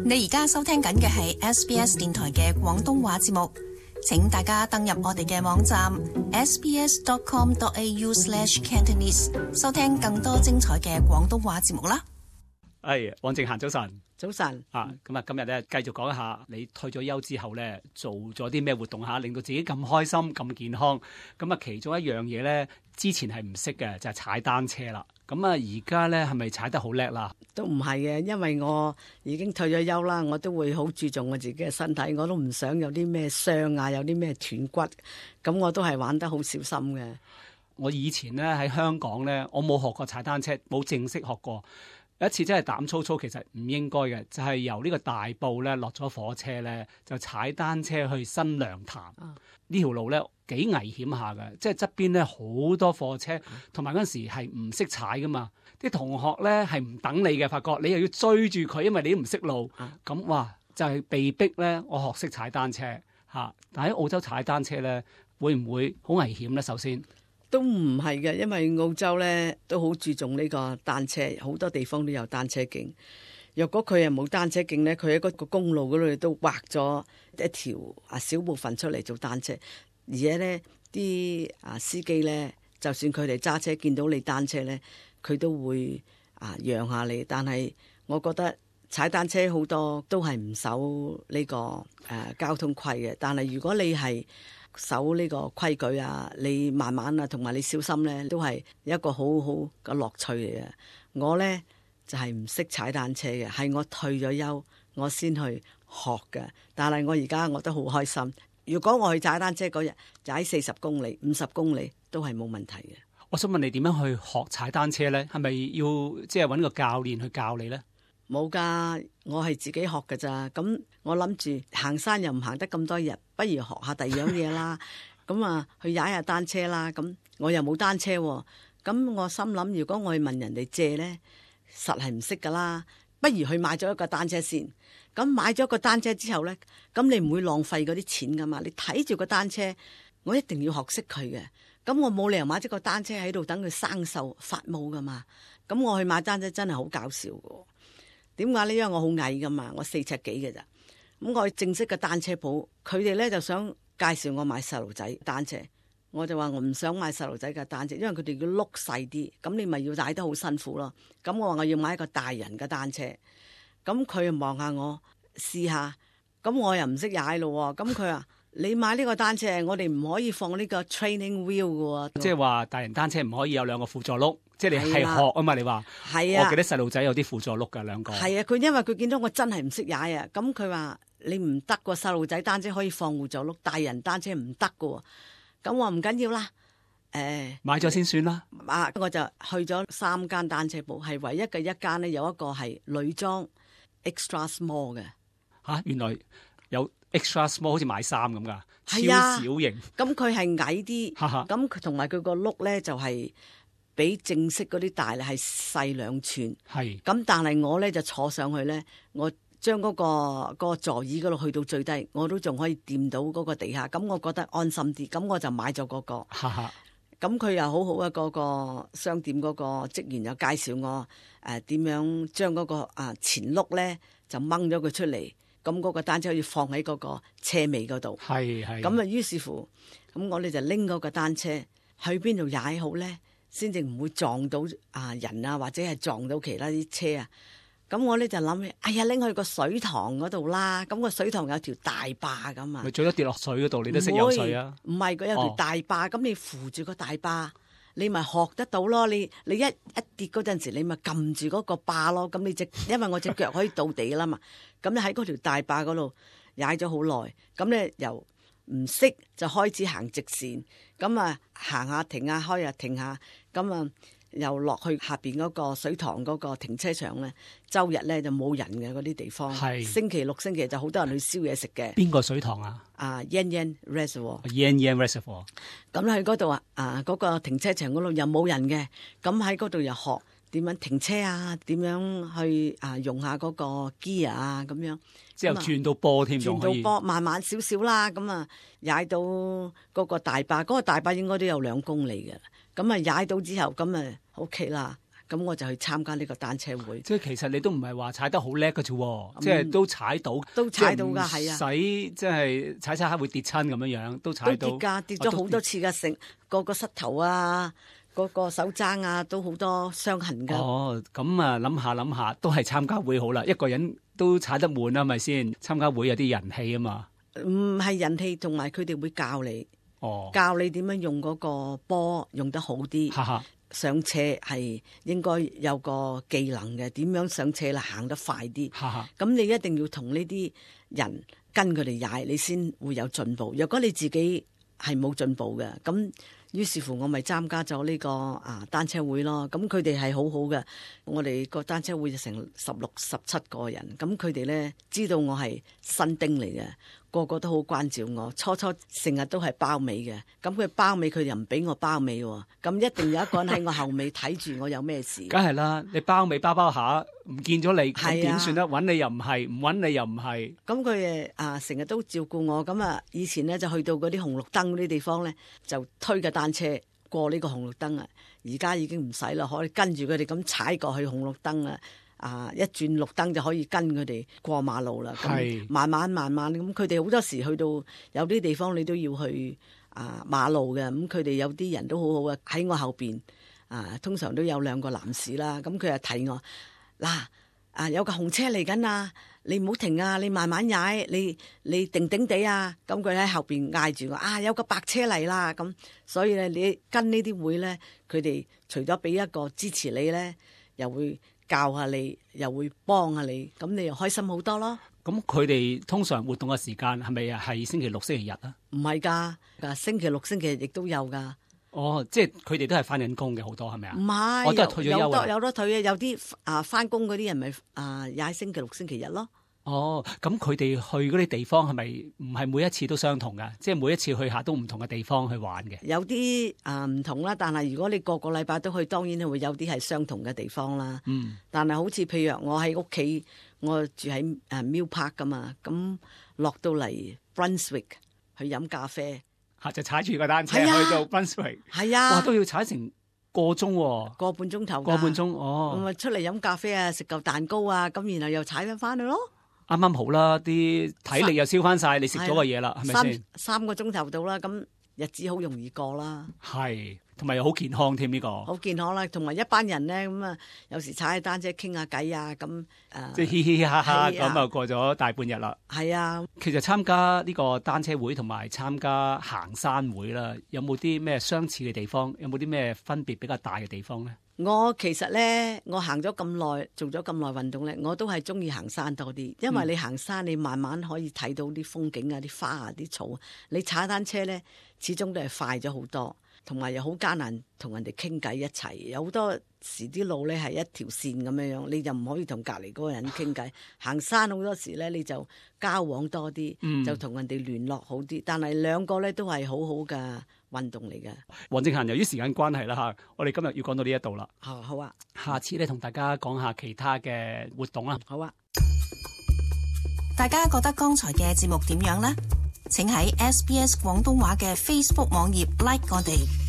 你而家收聽緊嘅係 SBS 電台嘅廣東話節目，請大家登入我哋嘅網站 sbs.com.au/cantonese 收聽更多精彩嘅廣東話節目啦。汪正嫻早晨。早晨咁今日咧繼續講一下你退咗休之後咧做咗啲咩活動下，令到自己咁開心咁健康。咁其中一樣嘢咧，之前係唔識嘅就係踩單車啦。咁而家咧係咪踩得好叻啦？都唔係嘅，因為我已經退咗休啦，我都會好注重我自己嘅身體，我都唔想有啲咩傷啊，有啲咩斷骨，咁我都係玩得好小心嘅。我以前咧喺香港咧，我冇學過踩單車，冇正式學過。有一次真係膽粗粗，其實唔應該嘅，就係由呢個大埔咧落咗火車咧，就踩單車去新娘潭。呢條路咧幾危險下嘅，即係側邊咧好多貨車，同埋嗰陣時係唔識踩噶嘛。啲同學咧係唔等你嘅，發覺你又要追住佢，因為你都唔識路。咁哇，就係被逼咧，我學識踩單車嚇。但喺澳洲踩單車咧，會唔會好危險咧？首先都唔係嘅，因為澳洲咧都好注重呢個單車，好多地方都有單車徑。若果佢係冇單車徑咧，佢喺嗰個公路嗰度都劃咗一條小部分出嚟做單車。而且咧啲司機咧，就算佢哋揸車見到你單車咧，佢都會讓下你。但係我覺得踩單車好多都係唔守呢個交通規嘅。但係如果你係守呢個規矩你慢慢同埋你小心咧，都係一個好好嘅樂趣嚟嘅。我咧就係唔識踩單車嘅，係我退咗休我先去學嘅。但係我而家我都好開心。如果我去踩單車嗰日踩40公里、50公里都係冇問題嘅。我想問你點樣去學踩單車咧？係咪要即係揾個教練去教你咧？冇噶，我係自己學㗎咋。咁我諗住行山又唔行得咁多日，不如學下第二樣嘢啦。咁去踩下單車啦。咁我又冇單車喎。咁我心諗，如果我去問人哋借呢，實係唔識噶啦。不如去買咗一個單車先。咁買咗個單車之後呢，咁你唔會浪費嗰啲錢噶嘛。你睇住個單車，我一定要學識佢嘅。咁我冇理由買咗個單車喺度等佢生鏽發毛噶嘛。咁我去買單車真係好搞笑嘅。點解呢？因為我好矮噶嘛，我4尺幾嘅咋。咁我去正式嘅單車鋪，佢哋咧就想介紹我買細路仔單車，我就話我唔想買細路仔嘅單車，因為佢哋要碌細啲，咁你咪要踩得好辛苦咯。咁我話我要買一個大人嘅單車，咁佢又望下我試下，咁我又唔識踩咯。咁佢話你買呢個單車，我哋唔可以放呢個 training wheel 嘅，即係話大人單車唔可以有2個輔助轆。即係你係學啊嘛？你話係啊？我記得細路仔有啲輔助轆㗎，2個。係啊，佢因為佢見到我真係唔識踩啊，咁佢話你唔得個細路仔單車可以放輔助轆，大人單車唔得㗎。咁我唔緊要啦，買咗先算啦。我就去咗3間單車鋪，係唯一嘅一間呢，有一個係女裝 extra small 嘅。原來有 extra small 好似買衫咁㗎，超小型。咁佢係矮啲，咁佢同埋佢個轆咧就係比正式嗰啲大咧係細2寸。係咁，但係我咧就坐上去咧，我將嗰個座椅嗰度去到最低，我都仲可以掂到嗰個地下，咁我覺得安心啲，咁我就買咗嗰個。咁佢又好好啊，嗰個商店嗰個職員又介紹我點樣將嗰個前轆咧就掹咗佢出嚟，咁嗰個單車可以放喺嗰個車尾嗰度。係咁於是乎，咁我哋就拎嗰個單車去邊度踩好咧？先至唔會撞到人或者係撞到其他啲車啊！咁我咧就諗起，拎去個水塘嗰度啦。咁個水塘有條大壩咁啊，咪最多跌落水嗰度，你都識游水啊？唔係，佢有條大壩，咁你扶住個大壩，你咪學得到咯。你一跌嗰陣時，你咪撳住嗰個壩咯。咁你因為我隻腳可以到地啦嘛。咁你喺嗰條大壩嗰度踩咗好耐，咁咧由唔識就開始行直線，咁行下停下開下停下，咁又落去下邊嗰個水塘嗰個停車場咧，周日咧就冇人嘅嗰啲地方。係星期六星期就好多人去燒嘢食嘅。邊個水塘啊？Yan Yan Reservoir。Yan Yan Reservoir。咁去嗰度嗰個停車場嗰度又冇人嘅，咁喺嗰度又學點樣停車點樣去用下嗰個 gear 咁樣。之後轉到波添，轉到波慢慢少少啦，咁踩到嗰個大壩，嗰個大壩應該都有2公里嘅。咁踩到之後，咁OK 啦。咁我就去參加呢個單車會。即係其實你都唔係話踩得好叻嘅啫，即係都踩到，都踩到㗎，係啊，使即係踩下會跌親咁樣，都踩到。都跌㗎，跌咗好多次㗎，成個膝頭啊，個手踭啊，都好多傷痕㗎。哦，咁啊，諗下，都係參加會好啦。一個人都踩得悶啦，係咪先？參加會有啲人氣啊嘛。唔係人氣，同埋佢哋會教你，教你點樣用嗰個波用得好啲。上斜係應該有個技能嘅，點樣上斜啦，行得快啲。咁你一定要同呢啲人跟佢哋踩，你先會有進步。若果你自己係冇進步嘅，咁於是乎我咪參加咗呢個單車會咯。咁佢哋係好好嘅，我哋個單車會就成16、17個人。咁佢哋咧知道我係新丁嚟嘅，個個都好關照我。初成日都係包尾嘅，咁佢包尾佢又唔俾我包尾喎。咁一定有一個人喺我後尾睇住我有咩事。梗係啦，你包尾包下唔見咗你，咁點算咧？揾你又唔係，唔揾你又唔係。咁佢成日都照顧我。咁以前咧就去到嗰啲紅綠燈嗰啲地方咧，就推架單車過呢個紅綠燈啊。而家已經唔使啦，可以跟住佢哋咁踩過去紅綠燈啊！一轉綠燈就可以跟佢哋過馬路啦。咁慢慢咁，佢哋好多時去到有啲地方你都要去馬路嘅。咁佢哋有啲人都好好嘅，喺我後邊通常都有2個男士啦。咁佢就提我嗱有個紅車嚟緊啊，你唔好停啊，你慢慢踩，你定定地啊。咁佢喺後邊嗌住我有個白車嚟啦。咁所以咧，你跟呢啲會咧，佢哋除咗俾一個支持你咧，又會教下你，又會幫下你，咁你又開心好多咯。咁佢哋通常活動嘅時間係咪係星期六、星期日啊？唔係㗎，星期六、星期日亦都有㗎。哦，即係佢哋都係翻緊工嘅好多係咪啊？唔係，我都係退咗休有得退嘅，有啲翻工嗰啲人咪踩星期六、星期日咯。哦，咁佢哋去嗰啲地方係咪唔係每一次都相同㗎？即係每一次去下都唔同嘅地方去玩嘅。有啲唔同啦，但係如果你個個禮拜都去，當然會有啲係相同嘅地方啦。但係好似譬如我喺屋企，我住喺Mill Park 㗎嘛，咁落到嚟 Brunswick 去飲咖啡。就踩住個單車去到 Brunswick， 哇都要踩成個鐘喎，個半鐘頭，哦，咁咪出嚟飲咖啡啊，食嚿蛋糕啊，咁然後又踩翻去咯。啱啱好啦，啲體力又燒翻晒，你食咗個嘢啦，係咪先？3個鐘頭到啦，咁日子好容易過啦。係，同埋又好健康添呢個。好健康啦，同埋一班人咧，咁有時踩下單車傾下偈啊，咁即係嘻嘻哈哈咁過咗大半日啦。係啊，其實參加呢個單車會同埋參加行山會啦，有冇啲咩相似嘅地方？有冇啲咩分別比較大嘅地方咧？我其實咧，我行咗咁耐，做咗咁耐運動咧，我都係中意行山多啲，因為你行山你慢慢可以睇到啲風景啊、啲花啊、啲草。你踩單車咧，始終都係快咗好多，同埋又好艱難同人哋傾偈一齊。有好多時啲路咧係一條線咁樣樣，你就唔可以同隔離嗰個人傾偈。行山好多時咧，你就交往多啲，就同人哋聯絡好啲。但係兩個咧都係好好嘅運動嚟嘅。黃正嫻，由於時間關係啦我哋今日要講到呢一度啦。好啊，下次咧同大家講下其他嘅活動啦。好啊。大家覺得剛才嘅節目點樣呢？請喺SBS 廣東話嘅 Facebook 網頁 like 我哋。